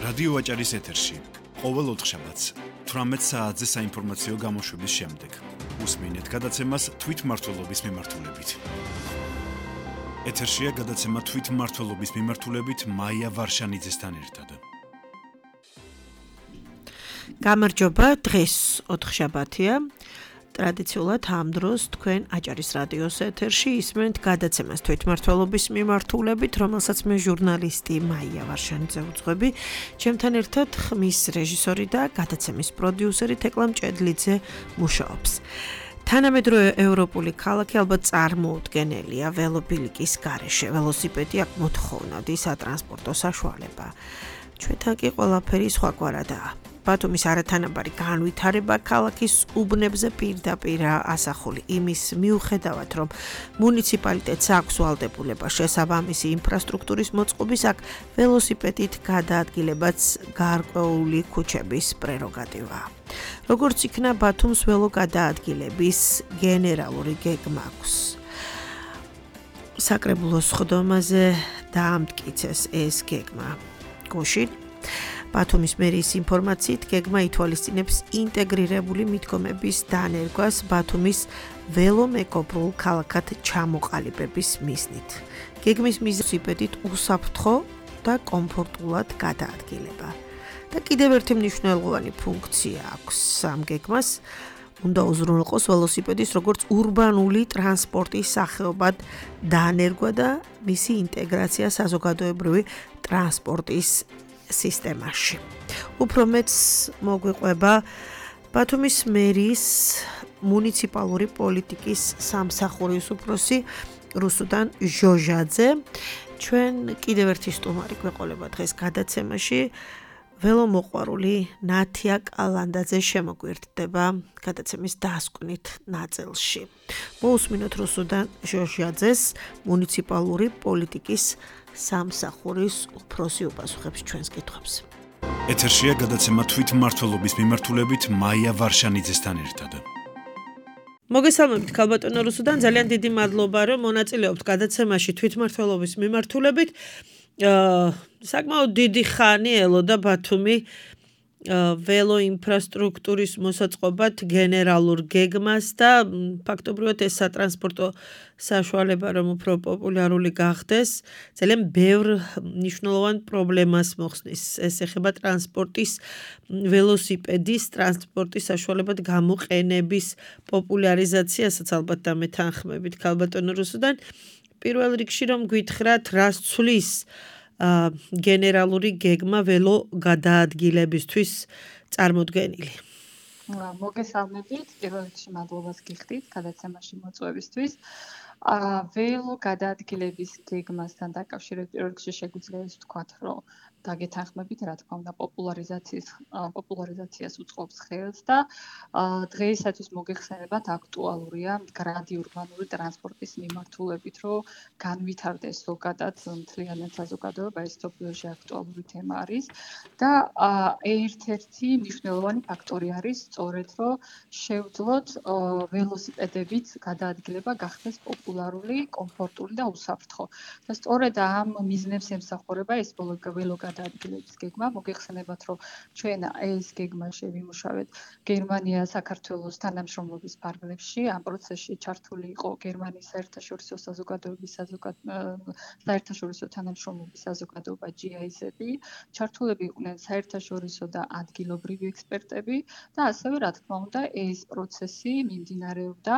რადიო აჭარის ეთერში ყოველ ოთხშაბათს 18 საათზე საინფორმაციო გამოშვების შემდეგ უსმინეთ გადაცემას თვითმმართველობის მიმართულებით. ეთერშია გადაცემა თვითმმართველობის მიმართულებით მაია ვარშანიძესთან ერთად. გამარჯობა, დღეს ოთხშაბათია. ტრადიციულად ამ დროს თქვენ აჭარის რადიოს ეთერში ისმენთ გადაცემას თვითმმართველობის მიმართულებით, რომელსაც მე ჟურნალისტი მაია ვარშანიძე უძღვები, ჩემთან ერთად ხმის რეჟისორი და გადაცემის პროდიუსერი თეკლა მჭედლიძე მუშაობს. თანამედროვე ევროპული ქალაქი ალბათ წარმოუდგენელია ველობილიკის გარეშე. ველოსიპედი აქ მოთხოვნადი სატრანსპორტო საშუალება. ჩვენთან კი ყველაფერი სხვაგვარადაა. ბათუმის არათანაბარი განვითარება ქალაქის უბნებზე პირდაპირ ასახული იმის მიუხედავად, რომ მუნიციპალიტეტს აქვს ვალდებულება შესაბამისი ინფრასტრუქტურის მოწყობის, აქ ველოსიპედით გადაადგილებაც გარკვეული ქუჩების პრეროგატივაა. როგორც იქნა ბათუმს ველო გადაადგილების გენერალური გეგმა აქვს. საკრებულოს სხდომაზე დაამტკიცეს ეს გეგმა. გუშინ ბათუმის მერიის ინფორმაციით გეგმა ითვალისწინებს ინტეგრირებული მიდგომების დანერგვას ბათუმის ველომეგობრულ ქალაქად ჩამოყალიბების მიზნით. გეგმის მიზნით უსაფრთხო და კომფორტულად გადაადგილება. და კიდევ ერთი მნიშვნელოვანი ფუნქცია აქვს ამ გეგმას. უნდა უზრუნველყოს ველოსიპედის როგორც ურბანული ტრანსპორტის სახეობად დანერგვა და მისი ინტეგრაცია საზოგადოებრივი ტრანსპორტის სისტემაში. უფრო მეც მოგვიყვება ბათუმის მერიის მუნიციპალური პოლიტიკის სამსახურის უფროსი რუსუდან ჟოჟაძე. ჩვენ კიდევ ერთი სტუმარი გვეყოლება დღეს გადაცემაში. ველომოყვარული ნათია კალანდაძე შემოგვიერთდება გადაცემის დასკვნით ნაწილში. მოусმინოთ რუსუდან ჟოჟაძეს, მუნიციპალური პოლიტიკის სამსახურის უფროსი უპასუხებს ჩვენს კითხვებს. ეთერშია გადაცემა თვითმმართველობის მიმართულებით მაია ვარშანიძესთან ერთად. მოგესალმებით ქალბატონო რუსუდან, ძალიან დიდი მადლობა, რომ მონაწილეობთ გადაცემაში თვითმმართველობის მიმართულებით. საკმაოდ დიდი ხანი ელოდა ბათუმი ველო ინფრასტრუქტურის მოსაწყობად გენერალურ გეგმას და ფაქტობრივად ეს სატრანსპორტო საშუალება რომ უფრო პოპულარული გახდეს, ძალიან ბევრ მნიშვნელოვან პრობლემას მოხსნის. ეს ეხება ტრანსპორტის, ველოსიპედის ტრანსპორტის საშუალებად გამოყენების პოპულარიზაციასაც ალბათ დამეთანხმებით ქალბატონო რუსუდან. პირველ რიგში რომ გითხრათ, რას ცვლის გენერალური გეგმა ველო გადაადგილებისთვის წარმოდგენილი. მოგესალმებით, პირველ რიგში მადლობას გიხდით გადაცემაში მოწვევისთვის. ველო გადაადგილების გეგმასთან დაკავშირებით პირველ რიგში შეგვიძლია ის ვთქვათ, რომ დაგეთანხმებით, რა თქმა უნდა, პოპულარიზაციას უწყობს ხელს და დღეისათვის მოგეხსენებათ აქტუალურია მდგრადი ურბანული ტრანსპორტის მიმართულებით, რომ განვითარდეს ზოგადად მთლიანად საზოგადოება, ეს მსოფლიოში აქტუალური თემა არის და ერთ-ერთი მნიშვნელოვანი ფაქტორი არის სწორედ, რომ შევძლოთ ველოსიპედებით გადაადგილება გახდეს პოპულარული, კომფორტული და უსაფრთხო. და სწორედ ამ მიზნებს ემსახურება ეს ველო გადაადგილების გეგმა. მოგეხსენებათ, რომ ჩვენ ეს გეგმა შევიმუშავეთ გერმანია საქართველოს თანამშრომლობის ფარგლებში. ამ პროცესში ჩართული იყო გერმანიის საერთაშორისო საზოგადოების საერთაშორისო თანამშრომლობის საზოგადოება GIZ-ი. ჩართულები იყვნენ საერთაშორისო და ადგილობრივი ექსპერტები და ასევე, რა თქმა უნდა, ეს პროცესი მიმდინარეობდა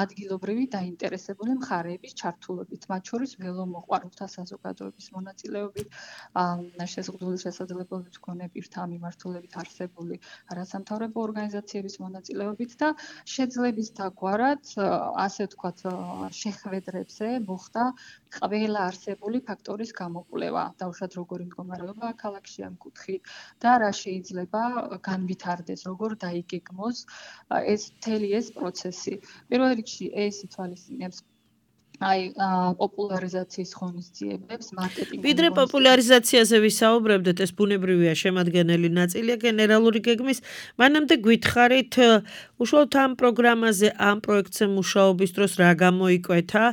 ადგილობრივი დაინტერესებული მხარეების ჩართულობით, მათ შორის ველომოყვარულთა საზოგადოების მონაწილეობით, შეზღუდული შესაძლებლობით მქონე პირთა მიმართულებით არსებული არასამთავრობო ორგანიზაციების მონაწილეობით და შეძლებისთა გვარად, ასე ვთქვათ, შეხვედრებზე მოხდა ყველა არსებული ფაქტორის გამოკვლევა. დაუშვათ როგორი მდგომარეობა ქალაქში ამ კუთხით და რა შეიძლება განვითარდეს, როგორ დაიგეგმოს ეს მთელი ეს პროცესი. პირველ რიგში ეს ითვალისწინებს აი პოპულარიზაციის ღონისძიებებს, მარკეტინგ ვიდრე პოპულარიზაციაზე ვისაუბრებდეთ, ეს ბუნებრივია შემადგენელი ნაწილია გენერალური გეგმის. მანამდე გითხარით, უშუალოდ ამ პროგრამაზე, ამ პროექტზე მუშაობის დროს რა გამოიკვეთა?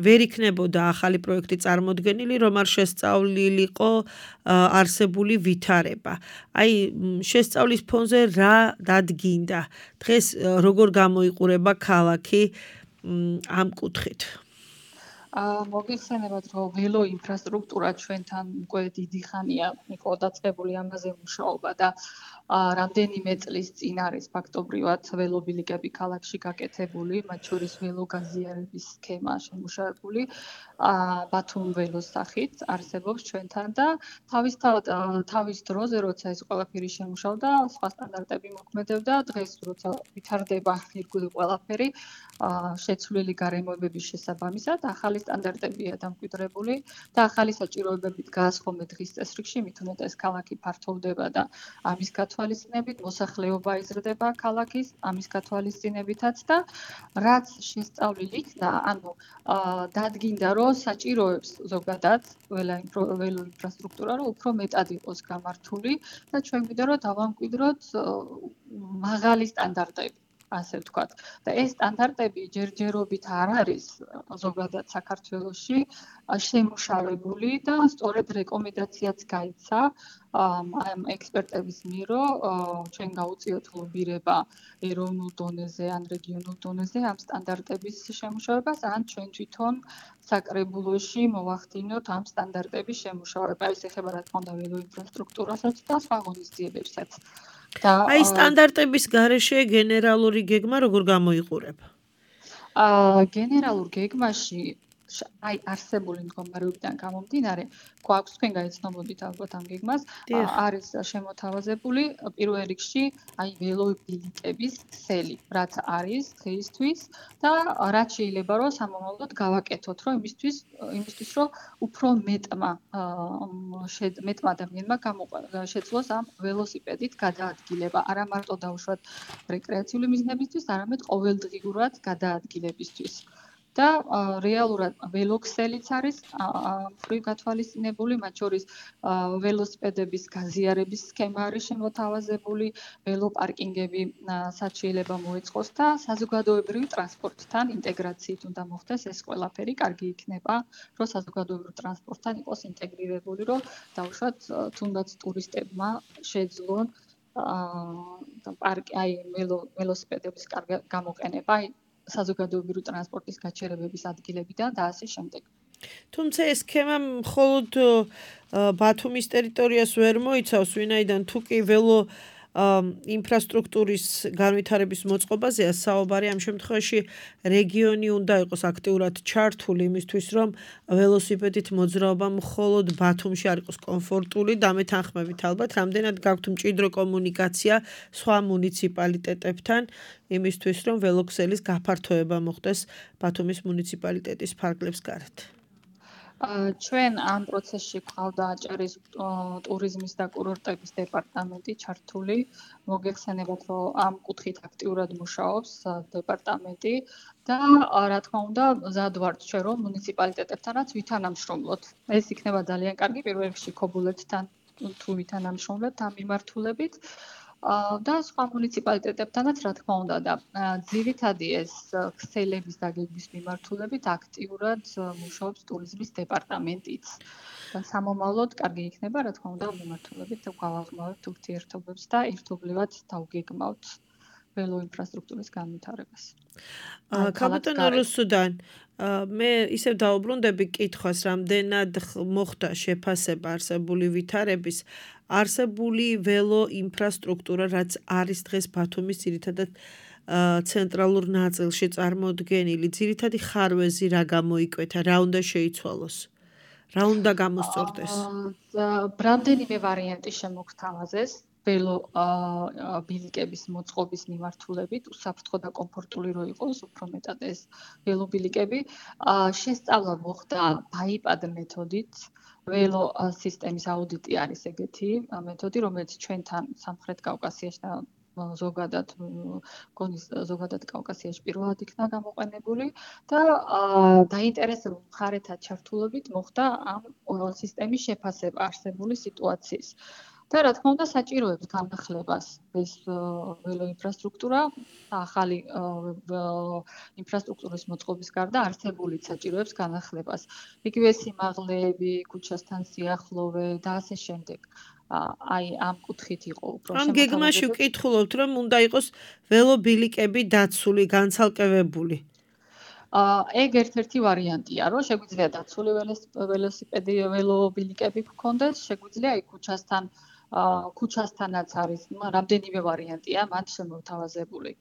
ვერ იქნებოდა ახალი პროექტი წარმოდგენილი, რომ არ შესწავლილიყო არსებული ვითარება. აი, შესწავლის ფონზე რა დადგინდა? დღეს როგორ გამოიყურება ქალაქი ამ კუთხით? მოგიხსენებათ, რომ ველო ინფრასტრუქტურა ჩვენთან უკვე დიდი ხანია იყო დაწყებული ამაზე მუშაობა და რამდენიმე წლის წინ არის ფაქტობრივად ველობილიკები ქალაქში გაკეთებული, მათ შორის ველო გაზიარების სქემა შემუშავებული, ბათუმ ველოს სახით არსებობს ჩვენთან და თავის დროზე, როცა ეს ყველაფერი შემუშავდა, სხვა სტანდარტები მოქმედებდა, დღეს როცა ვითარდება ირგვლივ ყველაფერი, შეცვლილი გარემოებების შესაბამისად ახალი სტანდარტებია დამკვიდრებული და ახალი საჭიროებებით გაასხომეთ დღის წესრიგში, მით უმეტეს ქალაქი ფართოვდება და ამის გათვალისწინებით მოსახლეობა იზრდება ქალაქის, ამის გათვალისწინებითაც და რაც შესწავლილ იქნა, ანუ დადგინდა, რომ საჭიროებს ზოგადად ველო ინფრასტრუქტურა რომ უფრო მეტად იყოს გამართული და ჩვენ გვინდა რომ დავამკვიდროთ მაღალი სტანდარტები. ასე ვთქვათ. და ეს სტანდარტები ჯერჯერობით არ არის ზოგადად საქართველოში შემუშავებული და სწორედ რეკომენდაციაც გაიცა ამ ექსპერტების მიერ, რომ ჩვენ გავუწიოთ ლობირება ეროვნულ დონეზე ან რეგიონულ დონეზე ამ სტანდარტების შემუშავებას, ან ჩვენ თვითონ საკრებულოში მოვახდინოთ ამ სტანდარტების შემუშავება. ეს ეხება რა თქმა უნდა ველო ინფრასტრუქტურასაც და სხვა ღონისძიებებსაც. აი სტანდარტების გარეშე გენერალური გეგმა როგორ გამოიყურება? გენერალურ გეგმაში აი არსებული მდგომარეობიდან გამომდინარე, გვაქვს თქვენ გაიცნობოდით ალბათ ამ გეგმას, არის შემოთავაზებული პირველ რიგში აი ველობილიკების ქსელი, რაც არის დღეისთვის და რაც შეიძლება რომ სამომავლოდ გავაკეთოთ, რომ იმისთვის რომ უფრო მეტმა ადამიანმა შეძლოს ამ ველოსიპედით გადაადგილება, არა მარტო დაუშვათ რეკრეაციული მიზნებისთვის, არამედ ყოველდღიურად გადაადგილებისთვის. და რეალურად ველოქსელიც არის მხრივ გათვალისწინებული, მათ შორის ველოსიპედების გაზიარების სქემა არის შემოთავაზებული, ველოპარკინგები შეიძლება მოეწყოს და საზოგადოებრივი ტრანსპორტთან ინტეგრაციით უნდა მოხდეს ეს ყველაფერი, კარგი იქნება, რომ საზოგადოებრივ ტრანსპორტთან იყოს ინტეგრირებული, რომ დაუშვათ თუნდაც ტურისტებმა შეძლონ აი ველოსიპედების გამოყენება საზოგადოებრივი ტრანსპორტის გაჩერებების ადგილებიდან და ასე შემდეგ. თუმცა ეს სქემა მხოლოდ ბათუმის ტერიტორიას ვერ მოიცავს, ვინაიდან თუ კი ველო ინფრასტრუქტურის განვითარების მოწყობაზეა საუბარი, ამ შემთხვევაში რეგიონი უნდა იყოს აქტიურად ჩართული იმისთვის, რომ ველოსიპედით მოძრაობა მხოლოდ ბათუმში არ იყოს კომფორტული და მე თანხმებით ალბათ, რამდენად გაქვთ მჭიდრო კომუნიკაცია სხვა მუნიციპალიტეტებთან იმისთვის, რომ ველოქსელის გაფართოება მოხდეს ბათუმის მუნიციპალიტეტის ფარგლებს გარეთ. ჩვენ ამ პროცესში გვყავდა აჭარის ტურიზმის და კურორტების დეპარტამენტი ჩართული. მოგეხსენებათ, რომ ამ კუთხით აქტიურად მუშაობს დეპარტამენტი და რა თქმა უნდა, მზად ვართ ჩვენ რომ მუნიციპალიტეტებთანაც ვითანამშრომლოთ. ეს იქნება ძალიან კარგი პირველ რიგში ქობულეთთან თუ ვითანამშრომლებთ ამ მიმართულებით. და სხვა მუნიციპალიტეტებთანაც რა თქმა უნდა და ძირითადი ეს ქსელების დაგეგმვის მიმართულებით აქტიურად მუშაობს ტურიზმის დეპარტამენტიც. და სამომავლოდ კარგი იქნება რა თქმა უნდა მიმართულებით გავაღმავებთ ურთიერთობებს და ერთობლივად დავგეგმავთ ველო ინფრასტრუქტურის განვითარებას. ქალბატონო რუსუდან, მე ისევ დაუბრუნდები კითხვას, რამდენად მოხდა შეფასება არსებული ვითარების, არსებული ველო ინფრასტრუქტურა, რაც არის დღეს ბათუმის ძირითადად ცენტრალურ ნაწილში წარმოდგენილი, ძირითადი ხარვეზი რა გამოიკვეთა, რა უნდა შეიცვალოს, რა უნდა გამოსწორდეს? რამდენიმე ვარიანტი შემოგთავაზეს. ველო ბილიკების მოწყობის მიმართულებით, უსაფრთხო და კომფორტული რო იყოს, უფრო მეტად ეს ველობილიკები. შესწავლა მოხდა ბაიპად მეთოდით. ველო სისტემის აუდიტი არის ეგეთი მეთოდი, რომელიც ჩვენთან სამხრეთ კავკასიაში და ზოგადად გონის ზოგადად კავკასიაში პირველად იქნა გამოყენებული და დაინტერესებულ მხარეთა ჩართულობით მოხდა ამ სისტემის შეფასება არსებული სიტუაციის. და რა თქმა უნდა საჭიროებს განახლებას ეს ველო ინფრასტრუქტურა ახალი ინფრასტრუქტურის მოწყობის გარდა არსებული საჭიროებს განახლებას. იგივე სიმაღლეები, ქუჩასთან სიახლოვე და ასე შემდეგ. აი ამ კუთხით იყო უფრო ამ გეგმაში ვკითხულობთ, რომ უნდა იყოს ველობილიკები დაცული, განცალკევებული. ეგ ერთ-ერთი ვარიანტია, რომ შეგვიძლია დაცული ველოსიპედი ველობილიკები გქონდეს, შეგვიძლია აი ქუჩასთანაც არის რამდენიმე ვარიანტია მათ შემოთავაზებული,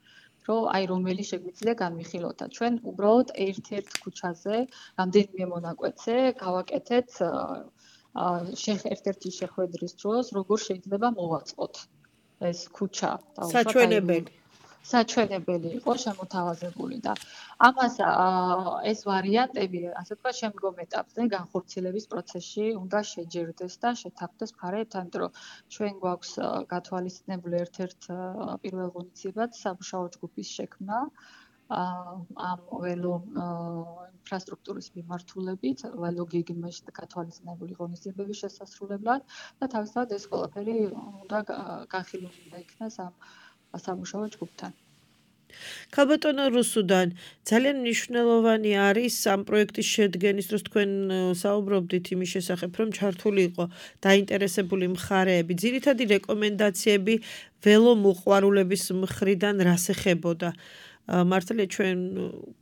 რომ აი რომელი შეგვიძლია განვიხილოთ. ჩვენ უბრალოდ ერთ-ერთ ქუჩაზე რამდენიმე მონაკვეთზე გავაკეთეთ ერთ-ერთი შეხვედრის დროს, როგორ შეიძლება მოვაწყოთ ეს ქუჩა. საჩვენებელი იყო შემოთავაზებული და ამას ეს ვარიანტები, ასე ვთქვათ, შემდგომ ეტაპზე განხორციელების პროცესში უნდა შეჯერდეს და შეთანხმდეს მხარეებთან, იმიტომ რომ ჩვენ გვაქვს გათვალისწინებული ერთ-ერთ პირველ ღონისძიებად სამუშაო ჯგუფის შექმნა ამ ველო ინფრასტრუქტურის მიმართულებით, ველო გეგმაში გათვალისწინებული ღონისძიებების შესასრულებლად და თავისთავად ეს ყველაფერი უნდა განხილული იქნას ამ სამუშაო ჯგუფთან. ქალბატონო რუსუდან, ძალიან მნიშვნელოვანი არის ამ პროექტის შედგენის დროს თქვენ საუბრობდით იმის შესახებ, რომ ჩართული იყო დაინტერესებული მხარეები. ძირითადი რეკომენდაციები ველო მოყვარულების მხრიდან რას ეხებოდა? მართალია ჩვენ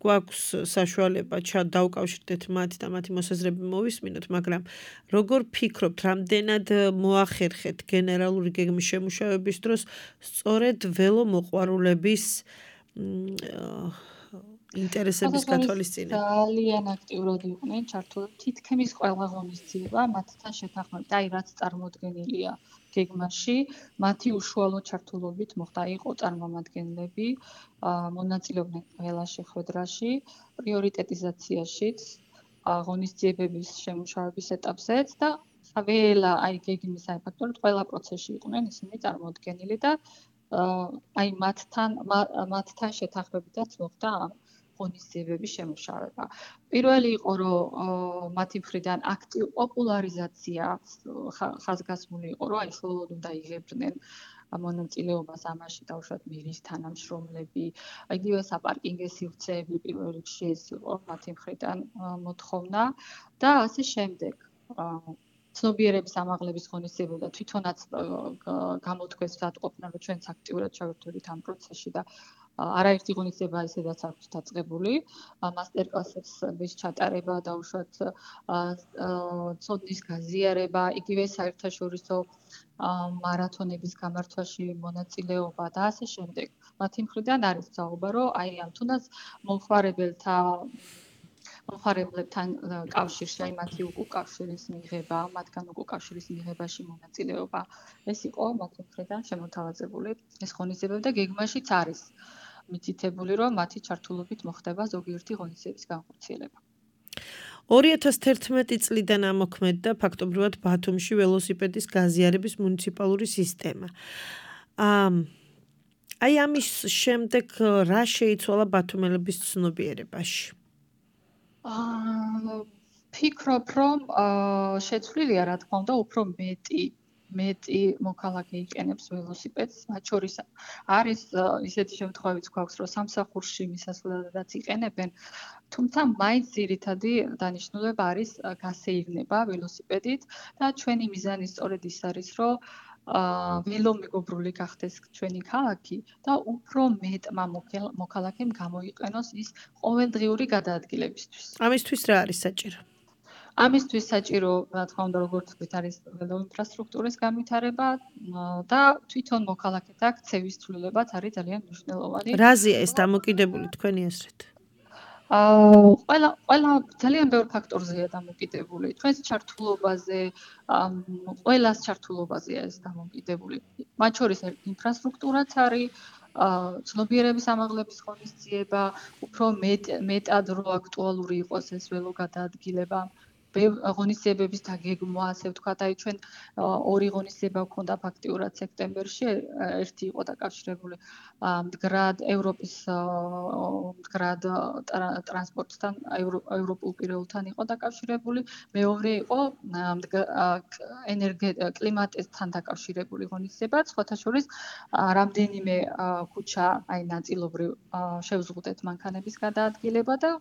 გვაქვს საშუალება დავუკავშირდეთ მათ და მათი მოსაზრება მოვისმინოთ, მაგრამ როგორ ფიქრობთ, რამდენად მოახერხეთ გენერალური გეგმის შემუშავების დროს სწორედ ველო მოყვარულების ინტერესების გათვალისწინება? ძალიან აქტიურად იყვნენ ჩართული თითქმის ყველა ღონისძიება მათთან შეთანხმებით. აი რაც წარმოდგენილია გეგმაში, მათი უშუალო ჩართულობით მოხდა, იყო წარმომადგენლები, მონაწილეობდნენ ყველა შეხვედრაში, პრიორიტეტიზაციაშიც, ღონისძიებების შემუშავების ეტაპზეც და ყველა აი გეგმის აი ფაქტორად ყველა პროცესში იყვნენ ისინი წარმოდგენილი და აი მათთან შეთანხმებითაც მოხდა ამ ღონისძიებების შემუშავება. პირველი იყო, რომ მათი მხრიდან აქტივ პოპულარიზაცია ხაზგასმული იყო, რომ აი მხოლოდ უნდა იღებდნენ მონაწილეობას ამაში დაუშვათ მირის თანამშრომლები, იგივე საპარკინგო სივრცეები პირველ რიგში ეს იყო მათი მხრიდან მოთხოვნა და ასე შემდეგ. ცნობიერების ამაღლების ღონისძიება და თვითონაც გამოთქვეს ვსადყოფნა, რომ ჩვენც აქტიურად ჩავერთვებით ამ პროცესში და არაერთი ღონისძიება ისედაც აქვს დაწყებული, მასტერკლასების ჩატარება, დაუშვათ ცოდნის გაზიარება, იგივე საერთაშორისო მარათონების გამართვაში მონაწილეობა და ასე შემდეგ. მათი მხრიდან არის საუბარი, რომ აი ამ თუნდაც მომხმარებლებთან კავშირში, აი მათი უკავშირის მიღება, მათგან უკავშირის მიღებაში მონაწილეობა. ეს იყო მათი მხრიდან შემოთავაზებული ეს ღონისძიებები და გეგმაშიც არის მითითებული, რომ მათი ჩართულობით მოხდება ზოგიერთი ღონისძიების განხორციელება. 2011 წლიდან ამოქმედდა ფაქტობრივად ბათუმში ველოსიპედის გაზიარების მუნიციპალური სისტემა. აი ამის შემდეგ რა შეიცვალა ბათუმელების ცნობიერებაში? ფიქრობ, რომ შეცვლილია, რა თქმა უნდა, უფრო მეტი მოქალაქე იყენებს ველოსიპედს, მათ შორის არის ისეთი შემთხვევებიც გვაქვს, რომ სამსახურში მისასვლელადაც იყენებენ, თუმცა მაინც ძირითადი დანიშნულება არის გასეირნება ველოსიპედით და ჩვენი მიზანი სწორედ ის არის, რომ ველომეგობრული გახდეს ჩვენი ქალაქი და უფრო მეტმა მოქალაქემ გამოიყენოს ის ყოველდღიური გადაადგილებისთვის. ამისთვის რა არის საჭირო? ამისთვის საჭირო, რა თქმა უნდა, როგორც ვთქვით, არის ველო ინფრასტრუქტურის განვითარება და თვითონ მოქალაქეთა ქცევის ცვლილებაც არის ძალიან მნიშვნელოვანი. რაზეა ეს დამოკიდებული თქვენი აზრით? ყველა ძალიან ბევრ ფაქტორზეა დამოკიდებული. თქვენს ჩართულობაზე, ყველას ჩართულობაზეა ეს დამოკიდებული. მათ შორის ინფრასტრუქტურაც არის, ცნობიერების ამაღლების ღონისძიება, უფრო მეტად რო აქტუალური იყოს ეს ველო გადაადგილება. ღონისძიებების დაგეგმვა, ასე ვთქვათ, აი ჩვენ ორი ღონისძიება გვქონდა ფაქტიურად სექტემბერში, ერთი იყო დაკავშირებული მდგრად ევროპის მდგრად ტრანსპორტთან, ევროპულ პირეულთან იყო დაკავშირებული, მეორე იყო კლიმატთან დაკავშირებული ღონისძიება, სხვათა შორის რამდენიმე ქუჩა აი ნაწილობრივ შევზღუდეთ მანქანების გადაადგილება და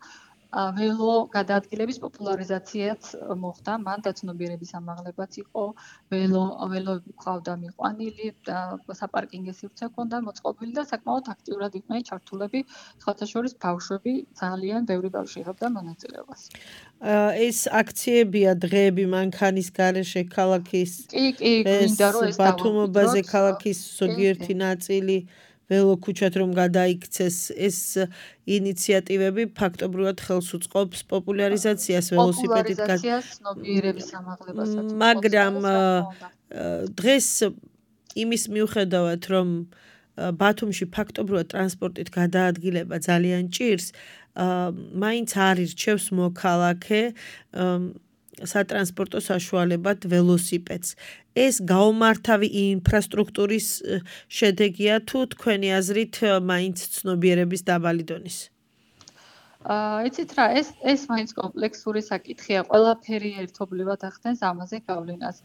ველო გადაადგილების პოპულარიზაციაც მოხდა, მან დაცნობიერების ამაღლებაც იყო, ველოები ყავდა მიყვანილი, საპარკინგო სივრცე ჰქონდა მოწყობილი და საკმაოდ აქტიურად იყვნენ ჩართულები, სხვათა შორის ბავშვები, ძალიან ბევრი ბავშვი იღებდა მონაწილეობას. ეს აქციებია დღეები მანქანის გარეშე ქალაქის კი, გვინდა რომ ეს ბათუმობაზე ქალაქის ზოგიერთი ნაწილი ველო ქუჩად რომ გადაიქცეს, ეს ინიციატივები ფაქტობრივად ხელს უწყობს პოპულარიზაციას ველოსიპედით ცნობიერების ამაღლებასაც. მაგრამ დღეს იმის მიუხედავად რომ ბათუმში ფაქტობრივად ტრანსპორტით გადაადგილება ძალიან ჭირს, მაინც არ ირჩევს მოქალაქე სატრანსპორტო საშუალებად ველოსიპედს. ეს გაუმართავი ინფრასტრუქტურის შედეგია თუ თქვენი აზრით მაინც ცნობიერების დაბალი დონის? იცით რა, ეს მაინც კომპლექსური საკითხია, ყველაფერი ერთობლივად ახდენს ამაზე გავლენას.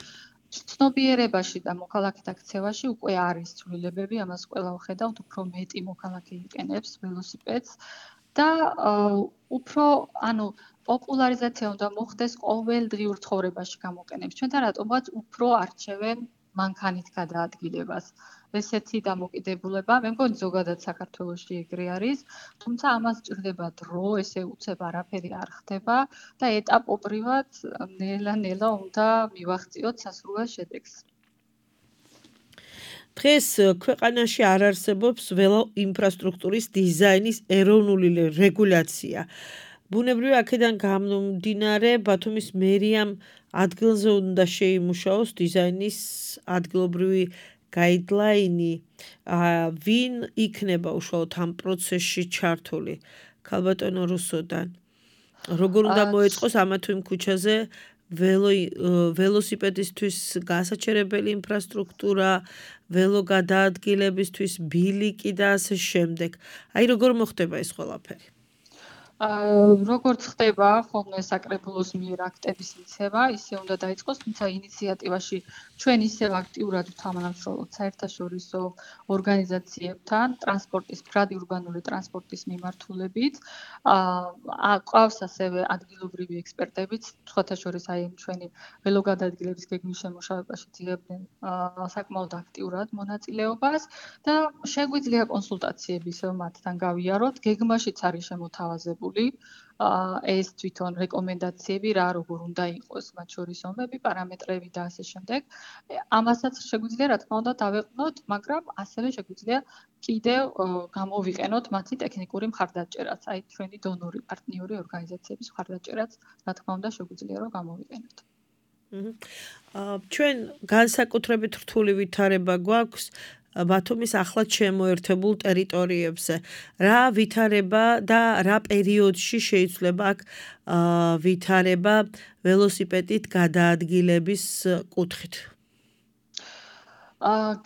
ცნობიერებაში და მოქალაქეთა ქცევაში უკვე არის ცვლილებები, ამას ყველა ვხედავთ, უფრო მეტი მოქალაქე იყენებს ველოსიპედს და უფრო, პოპულარიზაცია უნდა მოხდეს ყოველდღიურ ცხოვრებაში გამოყენებს. ჩვენთან რატომღაც უფრო არჩევენ მანქანით გადაადგილებას. ესეთი დამოკიდებულება, მე მგონი ზოგადად საქართველოში ეგრე არის, თუმცა ამას ჭირდება დრო, ესე უცებ არაფერი არ ხდება და ეტაპობრივად ნელა-ნელა უნდა მივაღწიოთ სასურველ შედეგს. დღეს ქვეყანაში არ არსებობს ველო ინფრასტრუქტურის დიზაინის ეროვნული რეგულაცია. ბუნებრივი აქედან გამომდინარე, ბათუმის მერიამ ადგილზე უნდა შეიმუშაოს დიზაინის ადგილობრივი გაიდლაინი, ვინ იქნება უშუალოდ ამ პროცესში ჩართული? ქალბატონო რუსოდან. როგორ უნდა მოეწყოს ამა თუ იმ ქუჩაზე ველოსიპედისთვის გასაჩერებელი ინფრასტრუქტურა, ველო გადაადგილებისთვის ბილიკი და ასე შემდეგ. აი როგორ მოხდება ეს ყველაფერი? როგორც ხდება ხოლმე საკრებულოს მიერ აქტების მიცემა, ისე უნდა დაიწყოს, თუმცა ინიციატივაში ჩვენ ისევ აქტიურად ვთამანამშრომლობთ საერთაშორისო ორგანიზაციებთან, მდგრადი ურბანული ტრანსპორტის მიმართულებით. ყავს ასევე ადგილობრივი ექსპერტებიც, სხვათა შორის აი ჩვენი ველოგადაადგილების გეგმის შემუშავებაში ძიებდნენ საკმაოდ აქტიურად მონაწილეობას და შეგვიძლია კონსულტაციები ისევ მათთან გავიაროთ, გეგმაშიც არის შემოთავაზებული ეს თვითონ რეკომენდაციები რა როგორ უნდა იყოს, მათ შორის ომები, პარამეტრები და ასე შემდეგ. ამასაც შეგვიძლია რა თქმა უნდა დავეყნოთ, მაგრამ ასევე შეგვიძლია კიდევ გამოვიყენოთ მათი ტექნიკური მხარდაჭერაც, აი ჩვენი დონორი პარტნიორი ორგანიზაციების მხარდაჭერაც, რა თქმა უნდა შეგვიძლია რომ გამოვიყენოთ. ჩვენ განსაკუთრებით რთული ვითარება გვაქვს ბათუმის ახლად შემოერთებულ ტერიტორიებზე. რა ვითარება და რა პერიოდში შეიძლება აქ ვითარება ველოსიპედით გადაადგილების კუთხით?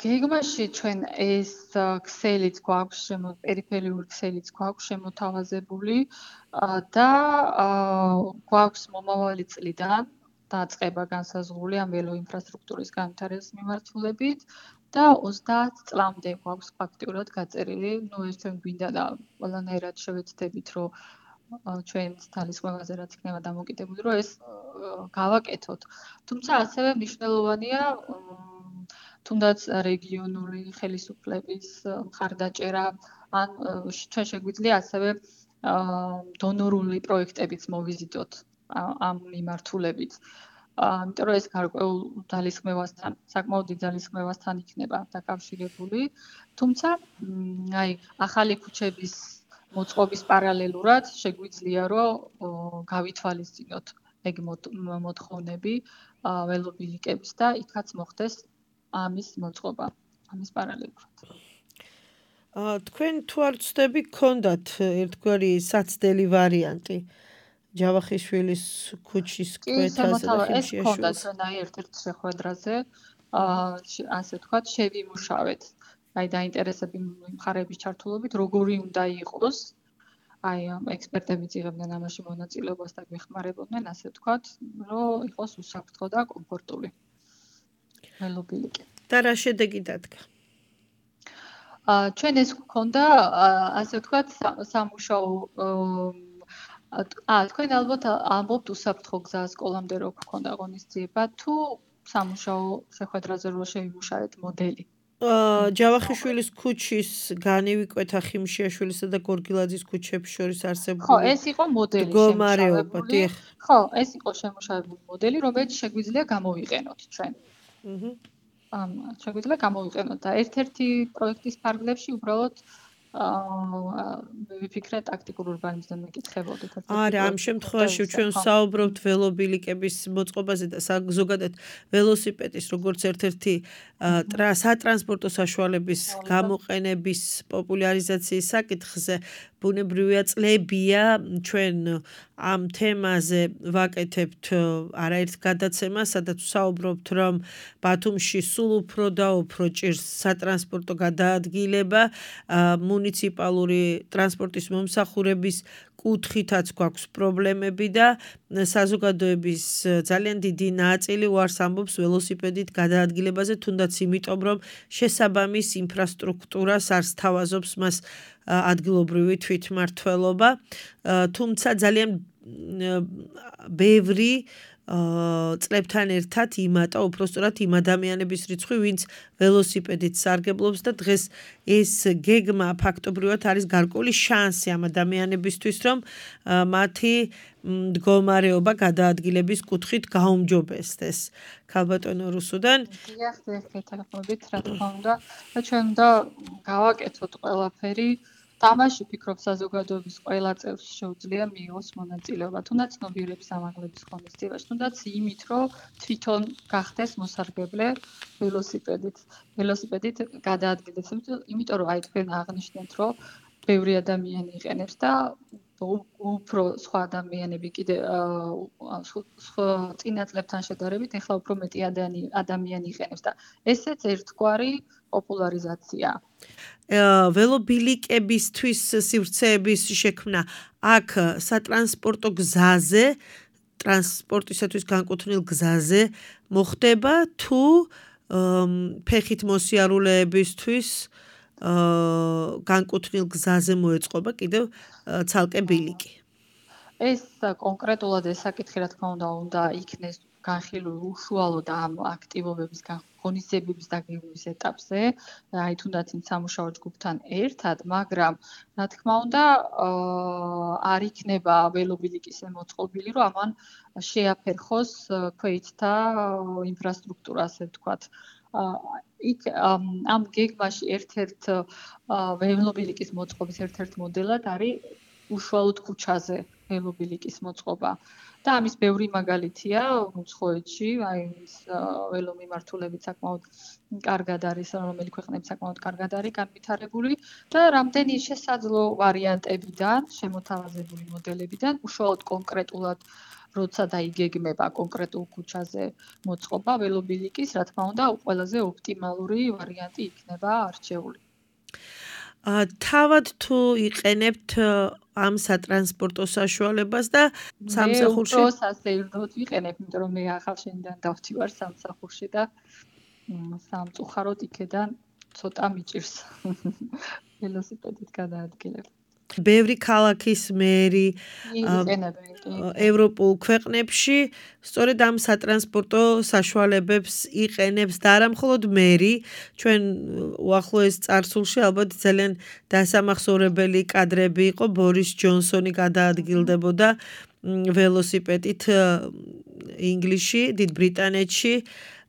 გეგმაში ჩვენ ეს ქსელიც გვაქვს, პერიფერიული ქსელიც გვაქვს შემოთავაზებული და გვაქვს მომავალი წლიდან დაწყება განსაზღვრული ამ ველო ინფრასტრუქტურის განვითარების მიმართულებით. და 30 წლამდე გვაქვს ფაქტიურად გაწერილი, ეს ჩვენ გვინდა და ყველანაირად შევეცდებით, რომ ჩვენ თალისხმევაზე რაც იქნება დამოკიდებული, რომ ეს გავაკეთოთ. თუმცა ასევე მნიშვნელოვანია თუნდაც რეგიონული ხელისუფლების მხარდაჭერა, ან ჩვენ შეგვიძლია ასევე დონორული პროექტებიც მოვიზიდოთ ამ მიმართულებით. იმიტომ რომ ეს გარკვეულ ძალისხმევასთან, საკმაოდ დიდ ძალისხმევასთან იქნება დაკავშირებული. თუმცა, აი, ახალი ქუჩების მოწყობის პარალელურად შეგვიძლია რომ გავითვალისწინოთ ეგ მოთხოვნები ველობილიკების და იქაც მოხდეს ამის მოწყობა, ამის პარალელურად. თქვენ თუ არ ვცდები, გქონდათ ერთგვარი საცდელი ვარიანტი ჯავახიშვილის ქუჩის კი, კვეთასა და ეს ჰქონდა ხიმშიაშვილის. ჩვენ ერთ-ერთ შეხვედრაზე, ასე ვთქვათ, შევიმუშავეთ. აი დაინტერესები მხარეების ჩართულობით, როგორი უნდა იყოს. აი ექსპერტებიც იღებდნენ ამაში მონაწილეობას და გვეხმარებოდნენ, ასე ვთქვათ, რომ იყოს უსაფრთხო და კომფორტული. ველობილიკი. და რა შედეგი დადგა? ჩვენ ეს გვქონდა, ასე ვთქვათ, სამუშაო თქვენ ალბათ ამბობთ უსაფრთხო გზა სკოლამდე რო გქონდა ღონისძიება, თუ სამუშაო შეხვედრაზე რო შევიმუშავეთ მოდელი. ჯავახიშვილის ქუჩის განივიკვეთა ხიმშიაშვილისა და გორგილაძის ქუჩებს შორის არსებული. ხო, ეს იყო მოდელი მდგომარეობა, დიახ. ხო, ეს იყო შემუშავებული მოდელი, რომელიც შეგვიძლია გამოვიყენოთ ჩვენ. შეგვიძლია გამოვიყენოთ და ერთ-ერთი პროექტის ფარგლებში უბრალოდ ვიფიქრე ტაქტიკურ ურბანიზმზე მეკითხებოდით. არა, ამ შემთხვევაში ჩვენ საუბრობთ ველობილიკების მოწყობაზე და ზოგადად ველოსიპედის როგორც ერთ-ერთი სატრანსპორტო საშუალების გამოყენების პოპულარიზაციის საკითხზე. ბუნებრივია წლებია ჩვენ ამ თემაზე ვაკეთებთ არაერთ გადაცემას, სადაც ვსაუბრობთ, რომ ბათუმში სულ უფრო და უფრო ჭირს სატრანსპორტო გადაადგილება, მუნიციპალური ტრანსპორტის მომსახურების კუთხითაც გვაქვს პრობლემები და საზოგადოების ძალიან დიდი ნაწილი უარს ამბობს ველოსიპედით გადაადგილებაზე, თუნდაც იმიტომ, რომ შესაბამის ინფრასტრუქტურას არ სთავაზობს მას ადგილობრივი თვითმმართველობა, თუმცა ძალიან ბევრი წლებთან ერთად იმატა უпростоრად იმ ადამიანების რიცხვი, ვინც ველოსიპედით სარგებლობს და დღეს ეს გეგმა ფაქტობრივად არის გარკვეული შანსი ამ ადამიანებისთვის, რომ მათი მდგომარეობა გადაადგილების კუთხით გაუმჯობესდეს. ქალბატონო რუსუდან. დიახ, გეთანხმებით, რა თქმა უნდა, და ჩვენ უნდა გავაკეთოთ ყველაფერი. თამაში ვფიქრობ საზოგადოების ყველა წევრს შეუძლია მიიღოს მონაწილეობა, თუნდაც ცნობიერების ამაღლების ღონისძიებაში, თუნდაც იმით, რომ თვითონ გახდეს მოსარგებლე ველოსიპედით გადაადგილდეს, იმიტომ რომ აი თქვენ აღნიშნეთ, რომ ბევრი ადამიანი იყენებს და უფრო სხვა ადამიანები კიდე წინა წლებთან შედარებით ეხლა უფრო მეტი ადამიანი იყენებს და ესეც ერთგვარი პოპულარიზაცია. ველობილიკებისთვის სივრცეების შექმნა აქ სატრანსპორტო გზაზე, ტრანსპორტისათვის განკუთვნილ გზაზე მოხდება თუ ფეხით მოსიარულეებისთვის განკუთვნილ გზაზე მოეწყობა კიდევ ცალკე ბილიკი. ეს კონკრეტულად ეს საკითხი რა თქმა უნდა იქნეს განხილული უშუალოდ ამ აქტივობების ღონისძიებების დაგეგმვის ეტაპზე, აი თუნდაც იმ სამუშაო ჯგუფთან ერთად, მაგრამ რა თქმა უნდა არ იქნება ველობილიკის მოწყობილი, რომ ამან შეაფერხოს ქვეითთა ინფრასტრუქტურა, ასე ვთქვათ. იქ ამ გეგმაში ერთ-ერთ ველობილიკის მოწყობის ერთ-ერთ მოდელად არის უშუალოდ ქუჩაზე ველობილიკის მოწყობა. და ამის ბევრი მაგალითია უცხოეთში, აი ეს ველომიმართულებით საკმაოდ კარგად არის, რომელი ქვეყნები საკმაოდ კარგად არის განვითარებული და რამდენი შესაძლო ვარიანტებიდან, შემოთავაზებული მოდელებიდან უშუალოდ კონკრეტულად როცა დაიგეგმება კონკრეტულ ქუჩაზე მოწყობა ველობილიკის, რა თქმა უნდა, ყველაზე ოპტიმალური ვარიანტი იქნება არჩეული. თავად თუ იყენებთ ამ სატრანსპორტო საშუალებას და სამსახურში? მე უფრო სასეირნოდ ვიყენებ, იმიტომ რომ მე ახალშენიდან დავთივარ სამსახურში და სამწუხაროდ იქედან ცოტა მიჭირს ველოსიპედით გადაადგილება. ბევრი ქალაქის მერი ევროპულ ქვეყნებში სწორედ ამ სატრანსპორტო საშუალებებს იყენებს და არა მხოლოდ მერი, ჩვენ უახლოეს წარსულში ალბათ ძალიან დასამახსოვრებელი კადრები იყო, ბორის ჯონსონი გადაადგილდებოდა ველოსიპედით ინგლისში, დიდ ბრიტანეთში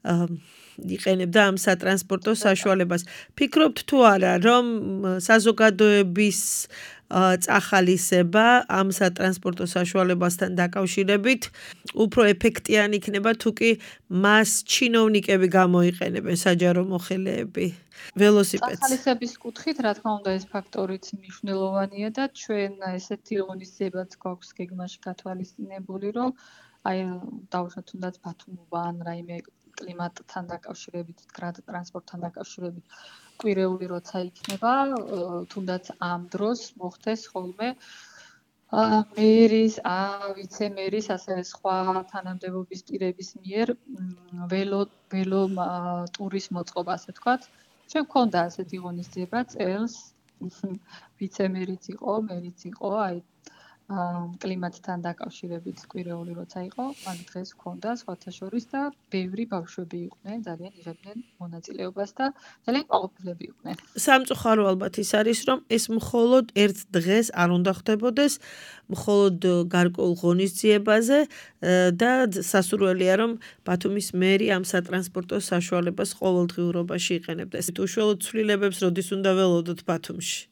იყენებდა ამ სატრანსპორტო საშუალებას. ფიქრობთ თუ არა, რომ საზოგადოების წახალისება ამ სატრანსპორტო საშუალებასთან დაკავშირებით უფრო ეფექტიანი იქნება, თუ კი მას ჩინოვნიკები გამოიყენებენ, საჯარო მოხელეები, ველოსიპედს. წახალისების კუთხით, რა თქმა უნდა, ეს ფაქტორიც მნიშვნელოვანია და ჩვენ ესეთი ღონისძიებაც გვაქვს გეგმაში გათვალისწინებული, რომ აი დავუშვათ თუნდაც ბათუმობა ან რაიმე კლიმატთან დაკავშირებით, გრად ტრანსპორტთან დაკავშირებით კვირეული როცა იქნება, თუნდაც ამ დროს მოხდეს ხოლმე მერის, ვიცე-მერის, ასევე სხვა თანამდებობის პირების მიერ ველო ტურის მოწყობა, ასე ვთქვათ. ჩვენ გვქონდა ასეთი ღონისძიება წელს, ვიცე-მერიც იყო, მერიც იყო, აი კლიმატთან დაკავშირებით კვირეული როცა იყო, მაგ დღეს გვქონდა სხვათა შორის და ბევრი ბავშვები იყვნენ, ძალიან იღებდნენ მონაწილეობას და ძალიან კმაყოფილები იყვნენ. სამწუხარო ალბათ ის არის, რომ ეს მხოლოდ ერთ დღეს არ უნდა ხდებოდეს, მხოლოდ გარკვეულ ღონისძიებაზე და სასურველია, რომ ბათუმის მერი ამ სატრანსპორტო საშუალებას ყოველდღიურობაში იყენებდა. უშუალოდ ცვლილებებს როდის უნდა ველოდოთ ბათუმში?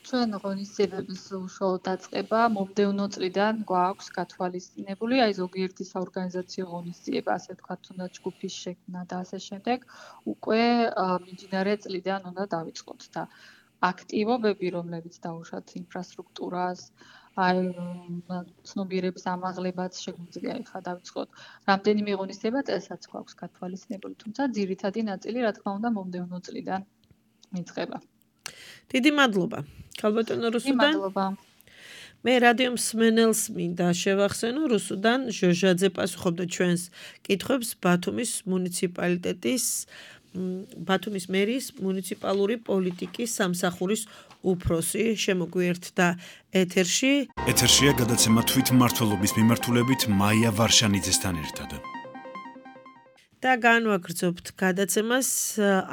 ჩვენ ღონისძიებების უშუალო დაწყება მომდევნო წლიდან გვაქვს გათვალისწინებული, აი ზოგიერთი საორგანიზაციო ღონისძიება, ასე ვთქვათ, თუნდაც ჯგუფის შექმნა და ასე შემდეგ, უკვე მიმდინარე წლიდან უნდა დავიწყოთ და აქტივობები, რომლებიც დავუშვათ ინფრასტრუქტურას, აი ცნობიერების ამაღლებაც შეგვიძლია ახლა დავიწყოთ. რამდენიმე ღონისძიება წელსაც გვაქვს გათვალისწინებული, თუმცა ძირითადი ნაწილი, რა თქმა უნდა, მომდევნო წლიდან იწყება. დიდი მადლობა. ქალბატონო რუსუდან. მადლობა. მე რადიო მსმენელს მინდა შევახსენო, რუსუდან ჟოჟაძე პასუხობდა ჩვენს კითხვებს ბათუმის მუნიციპალიტეტის ბათუმის მერის მუნიციპალური პოლიტიკის სამსახურის უფროსი შემოგვიერთდა ეთერში. ეთერშია გადაცემა თვითმმართველობის მიმართულებით მაია ვარშანიძესთან ერთად. და განვაგრძობთ გადაცემას,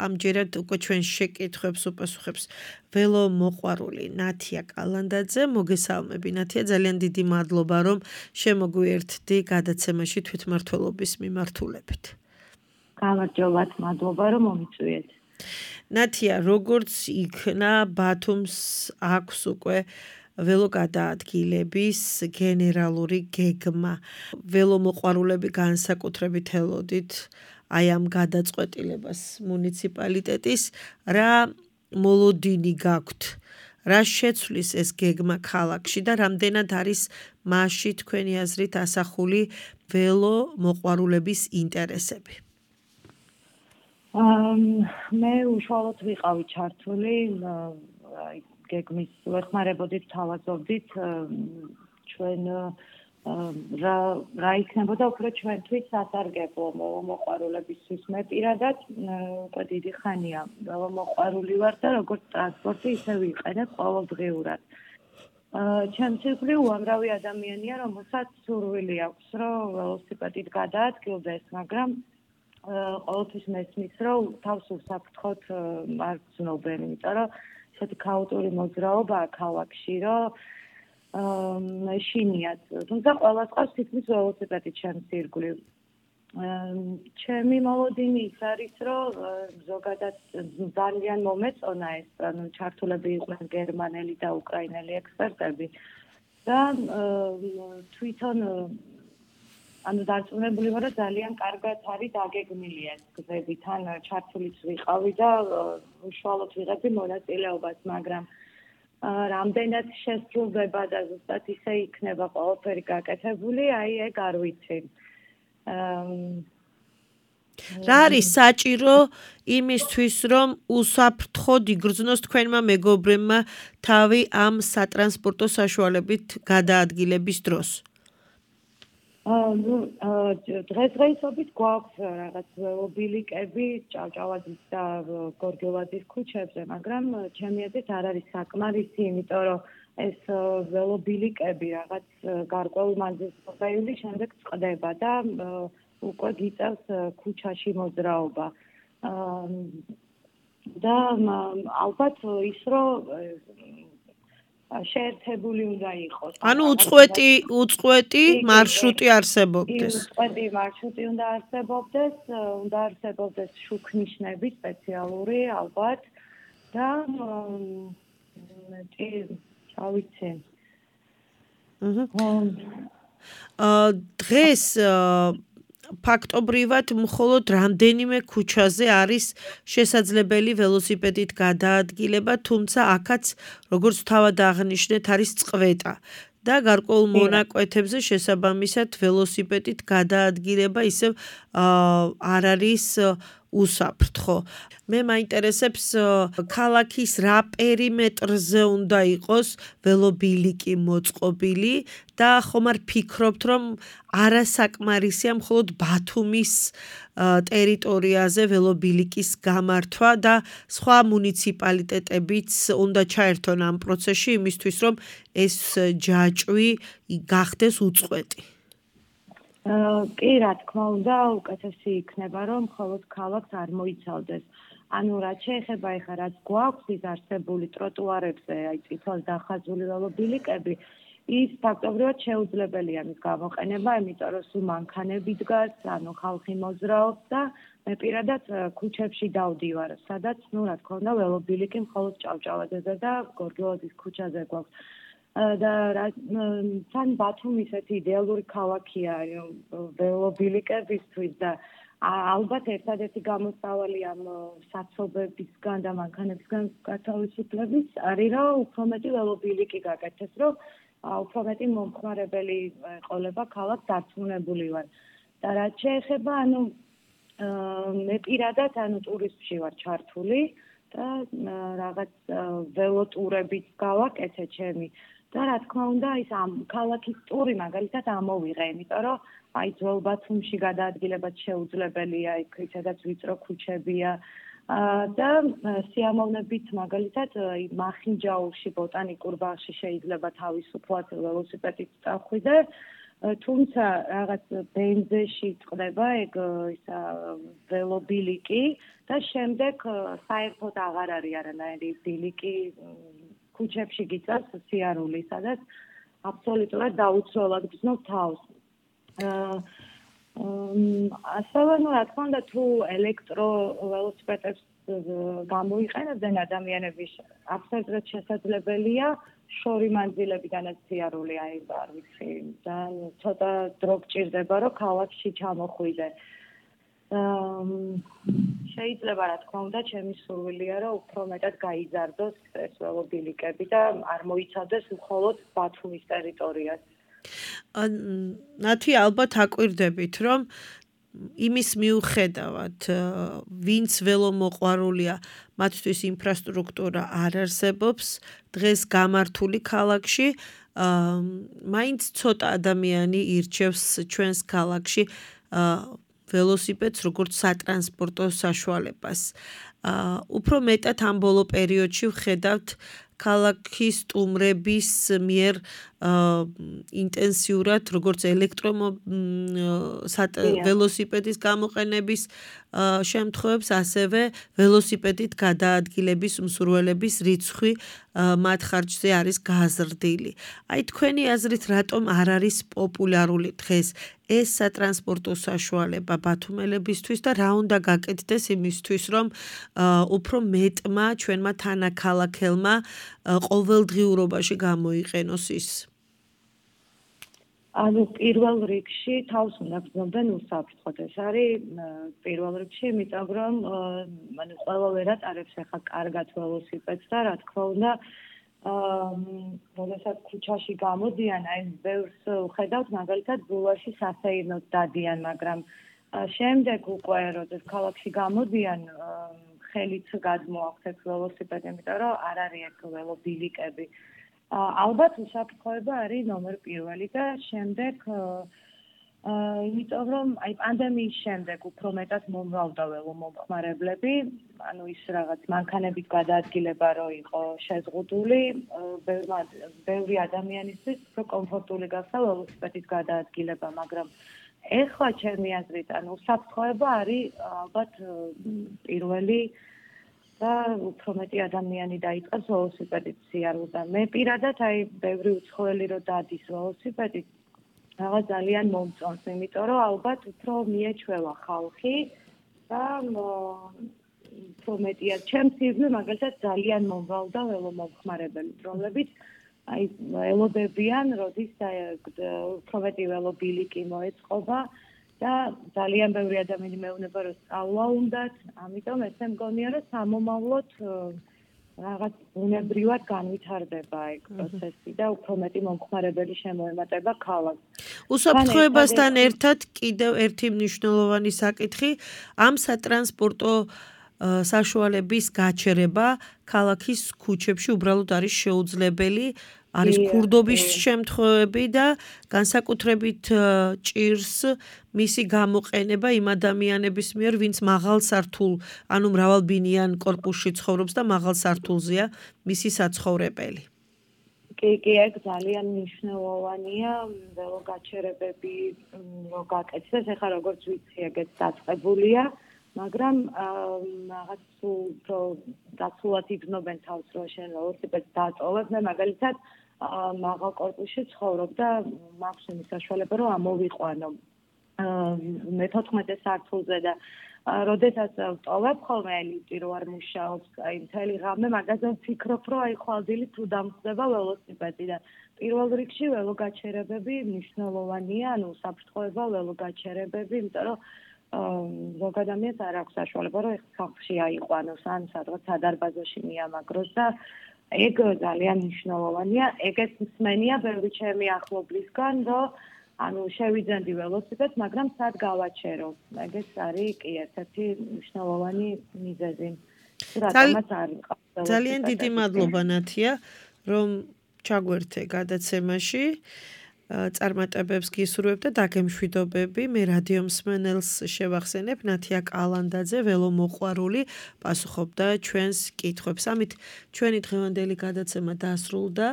ამჯერად უკვე ჩვენ შეკითხვებს უპასუხებს ველომოყვარული ნათია კალანდაძე. მოგესალმები ნათია, ძალიან დიდი მადლობა, რომ შემოგვიერთდი გადაცემაში თვითმმართველობის მიმართულებით. გამარჯობათ, მადლობა, რომ მომიწვიეთ. ნათია, როგორც იქნა ბათუმს აქვს უკვე ველოგადაადგილების გენერალური გეგმა. ველომოყვარულები განსაკუთრებით ელოდით აი ამ გადაწყვეტილებას მუნიციპალიტეტის, რა მოლოდინი გაქვთ, რა შეცვლის ეს გეგმა ქალაქში და რამდენად არის მასში თქვენი აზრით ასახული ველომოყვარულების ინტერესები? მე უშუალოდ ვიყავი ჩართული გეგმის ვეხმარებოდით, თავაზობდით ჩვენ რა იქნებოდა უფრო ჩვენთვის სასარგებლო ველომოყვარულებისთვის. მე პირადად უკვე დიდი ხანია ველომოყვარული ვარ და როგორც ტრანსპორტი ისე ვიყენებ ყოველდღიურად. ჩემს ირგვლივ უამრავი ადამიანია, რომელსაც სურვილი აქვს, რომ ველოსიპედით გადაადგილდეს, მაგრამ ყოველთვის მესმის, რომ თავს უსაფრთხოდ არ გრძნობენ, იმიტომ რომ ესეთი ქაოტური მოძრაობაა ქალაქში, რომ შინიათ. თუმცა ყველას ყავს თითქმის ველოსიპედით ჩემს ირგვლივ. ჩემი მოლოდინი ის არის, რომ ზოგადად ძალიან მომეწონა ეს, ჩართულები იყვნენ გერმანელი და უკრაინელი ექსპერტები და თვითონ ანუ დარწმუნებული ვარ, რომ ძალიან კარგად არის დაგეგმილი ეს გზები, თან ჩართულიც ვიყავი და უშუალოდ ვიღებდი მონაწილეობას, მაგრამ რამდენად შესრულდება და ზუსტად ისე იქნება ყველაფერი გაკეთებული, აი ეგ არ ვიცი. რა არის საჭირო იმისთვის, რომ უსაფრთხოდ იგრძნოს თქვენმა მეგობრებმა თავი ამ სატრანსპორტო საშუალებით გადაადგილების დროს? დღესდღეობით გვაქვს რაღაც ველობილიკები ჭავჭავაძის და გორგელაძის ქუჩებზე, მაგრამ ჩემი აზრით არ არის საკმარისი, იმიტომ რომ ეს ველობილიკები რაღაც გარკვეულ მანძილზე შემდეგ წყდება და უკვე გიწევს ქუჩაში მოძრაობა. და ალბათ ის რომ შეერთებული უნდა იყოს. ანუ უწყვეტი მარშრუტი არსებობდეს. უწყვეტი მარშრუტი უნდა არსებობდეს შუქნიშნები სპეციალური ალბათ და ავიცი. დღეს ფაქტობრივად მხოლოდ რამდენიმე ქუჩაზე არის შესაძლებელი ველოსიპედით გადაადგილება, თუმცა აქაც როგორც თავად აღნიშნეთ არის წყვეტა და გარკვეულ მონაკვეთებზე შესაბამისად ველოსიპედით გადაადგილება ისევ არ არის უსაფრთხო. მე მაინტერესებს ქალაქის რა პერიმეტრზე უნდა იყოს ველობილიკი მოწყობილი და ხომ არ ფიქრობთ, რომ არასაკმარისია მხოლოდ ბათუმის ტერიტორიაზე ველობილიკის გამართვა და სხვა მუნიციპალიტეტებიც უნდა ჩაერთონ ამ პროცესში იმისთვის, რომ ეს ჯაჭვი გახდეს უწყვეტი. კი, რა თქმა უნდა, უკეთესი იქნება, რომ მხოლოდ ქალაქს არ მოიცავდეს. ანუ რაც შეეხება ეხლა რაც გვაქვს ის არსებული ტროტუარებზე, აი წითელ დახაზული ველობილიკები, ის ფაქტობრივად შეუძლებელია მის გამოყენება, იმიტომ რომ სულ მანქანები დგას, ანუ ხალხი მოძრაობს და მე პირადად ქუჩებში დავდივარ, სადაც, რა თქმა უნდა, ველობილიკი მხოლოდ ჭავჭავაძეზე და გორგილაძის ქუჩაზე გვაქვს. და თან ბათუმი ისეთი იდეალური ქალაქია ველობილიკებისთვის და ალბათ ერთადერთი გამოსავალი ამ საცობებისგან და მანქანებისგან გათავისუფლების არის რომ უფრო მეტი ველობილიკი გაკეთდეს, რომ უფრო მეტი მომხმარებელი ყოლება ქალაქს დარწმუნებული ვარ. და რაც შეეხება, მე პირადად ტურიზმში ვარ ჩართული და რაღაც ველოტურებიც გავაკეთე ჩემი. და რა თქმა უნდა, ის ამ ქალაქის ტური მაგალითად ამოვიღე, იმიტომ რომ აი ძველ ბათუმში გადაადგილებაც შეუძლებელია, იქ ვიწრო ქუჩებია და სიამოვნებით მაგალითად მახინჯაურში ბოტანიკურ ბაღში შეიძლება თავისუფლად ველოსიპედით წახვიდე, თუმცა რაღაც ბენზეში წყდება ეგ ისა ველობილიკი და შემდეგ საერთოდ აღარ არის არანაირი ბილიკი ქუჩებში გიწევს სიარული, სადაც აბსოლუტურად დაუცველად გრძნობ თავს. ასევე, რა თქმა უნდა, თუ ელექტრო ველოსიპედებს გამოიყენებდნენ ადამიანები, აბსოლუტურად შესაძლებელია შორი მანძილებიდანაც სიარული არ ვიცი და ცოტა დრო გჭირდება, რომ ქალაქში ჩამოხვიდე. შეიძლება რა თქმა უნდა ჩემი სურვილია რომ უფრო მეტად გაიზარდოს ეს ველობილიკები და არ მოიცავდეს მხოლოდ ბათუმის ტერიტორიას. ნათი ალბათ აკვირდებით რომ იმის მიუხედავად ვინც ველომოყვარულია მათთვის ინფრასტრუქტურა არ არსებობს დღეს გამართული ქალაქში მაინც ცოტა ადამიანი ირჩევს ჩვენს ქალაქში ველოსიპედს როგორც სატრანსპორტო საშუალებას. უფრო მეტად ამ ბოლო პერიოდში ვხედავთ ქალაქის სტუმრების მიერ ინტენსიურად როგორც ველოსიპედის გამოყენების შემთხვევებს, ასევე ველოსიპედით გადაადგილების მსურველების რიცხვი მათ ხარჯზე არის გაზრდილი. აი თქვენი აზრით რატომ არ არის პოპულარული დღეს ეს სატრანსპორტო საშუალება ბათუმელებისთვის და რა უნდა გაკეთდეს იმისთვის, რომ უფრო მეტმა ჩვენმა თანაქალაქელმა ყოველდღიურობაში გამოიყენოს ის? პირველ რიგში თავს უნდა გრძნობდნენ უსაფრთხოდ. ეს არის პირველ რიგში, იმიტომ რომ ყველა ვერ ატარებს ახლა კარგად ველოსიპედს და რა თქმა უნდა როდესაც ქუჩაში გამოდიან, აი ბევრს ვხედავთ მაგალითად ბულვარში სასეირნოდ დადიან, მაგრამ შემდეგ უკვე როდესაც ქალაქში გამოდიან ხელით გადმოაქვთ ველოსიპედი, იმიტომ რომ არ არის ეგ ველობილიკები. ალბათ უსაფრთხოება არის ნომერ პირველი და შემდეგ იმიტომ რომ აი პანდემიის შემდეგ უფრო მეტად მომრავლდა ველომომხმარებლები, ანუ ის რაღაც მანქანებით გადაადგილება რო იყო შეზღუდული, ბევრი ადამიანისთვის უფრო კომფორტული გახდა ველოსიპედით გადაადგილება, მაგრამ ეხლა ჩემი აზრით, უსაფრთხოება არის ალბათ პირველი და უფრო მეტი ადამიანი დაიწყებს ველოსიპედით სიარულზე. მე პირადად ბევრი უცხოელი რო დადის ველოსიპედით, რაღაც ძალიან მომწონს, იმიტომ რომ ალბათ უფრო მიეჩვევა ხალხი და უფრო მეტია. ჩემს ირგვლივ მაგალითად ძალიან მომვალდა ველომომხმარებელი, რომლებიც ველოდებიან, როდის უფრო მეტი ველობილიკი მოეწყობა და ძალიან ბევრი ადამიანი მეუბნება, რომ სწავლა უნდათ, ამიტომ ესე მგონია, რომ სამომავლოდ რაღაც უნებრივად განვითარდება ეგ პროცესი და უფრო მეტი მომხმარებელი შემოემატება ქალაქს. უსაფრთხოებასთან ერთად კიდევ ერთი მნიშვნელოვანი საკითხი ამ სატრანსპორტო საშუალების გაჩერება ქალაქის ქუჩებში უბრალოდ არის შეუძლებელი. არის ქურდობის შემთხვევები და განსაკუთრებით ჭირს მისი გამოყენება იმ ადამიანების მიერ, ვინც მაღალ სართულ, ანუ მრავალბინიან კორპუსში ცხოვრობს და მაღალ სართულზეა მისი საცხოვრებელი. კი, ეგ ძალიან მნიშვნელოვანია, ველოგაჩერებები რო გაკეთდეს, ეხლა როგორც ვიცი, ეგეც დაწყებულია, მაგრამ რაღაც უფრო დაცულად იგრძნობენ თავს, რომ შენ ველოსიპედს დაწოვებ, მე მაგალითად მაღალ კორპუსში ცხოვრობ და მაქვს იმის საშუალება, რომ ამოვიყვანო მე-14 სართულზე და როდესაც ვტოვებ ხოლმე ლიფტი რო არ მუშაობს, მთელი ღამე მაგაზე ვფიქრობ, რომ ხვალდილით თუ დამხდება ველოსიპედი და პირველ რიგში ველოგაჩერებები მნიშვნელოვანია, ანუ საფრთხოება ველოგაჩერებები, იმიტომ რომ ზოგ ადამიანს არ აქვს საშუალება, რომ ხალხში აიყვანოს ან სადღაც სადარბაზოში მიამაგროს და ეგ ძალიან მნიშვნელოვანია. ეგეც მსმენია ბევრი ჩემი ახლობლისგან, რომ ანუ შევიძენდი ველოსიპედს, მაგრამ სად გავაჩერო. ეგეც არის კი ერთ-ერთი მნიშვნელოვანი მიზეზი. რატომაც არის. ძალიან დიდი მადლობა ნათია, რომ ჩაგვერთე გადაცემაში. წარმატებებს გისურვებ და დაგემშვიდობები. მე რადიო მსმენელს შევახსენებ, ნათია კალანდაძე, ველომოყვარული, პასუხობდა ჩვენს კითხვებს. ამით ჩვენი დღევანდელი გადაცემა დასრულდა.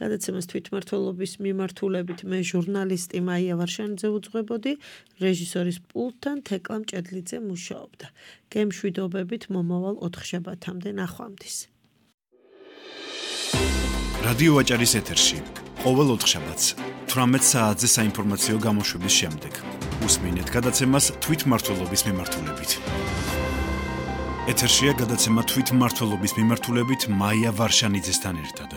გადაცემას თვითმმართველობის მიმართულებით მე ჟურნალისტი მაია ვარშანიძე უძღვებოდი, რეჟისორის პულტთან თეკლა მჭედლიძე მუშაობდა. გემშვიდობებით მომავალ 4 შაბათამდე ნახვამდის. რადიო ვაჭარის ეთერში ყოველ 4 შაბათს 18 საათზე საინფორმაციო გამოშვების შემდეგ უსმინეთ გადაცემას თვითმმართველობის მიმართულებით. ეთერშია გადაცემა თვითმმართველობის მიმართულებით მაია ვარშანიძესთან ერთად.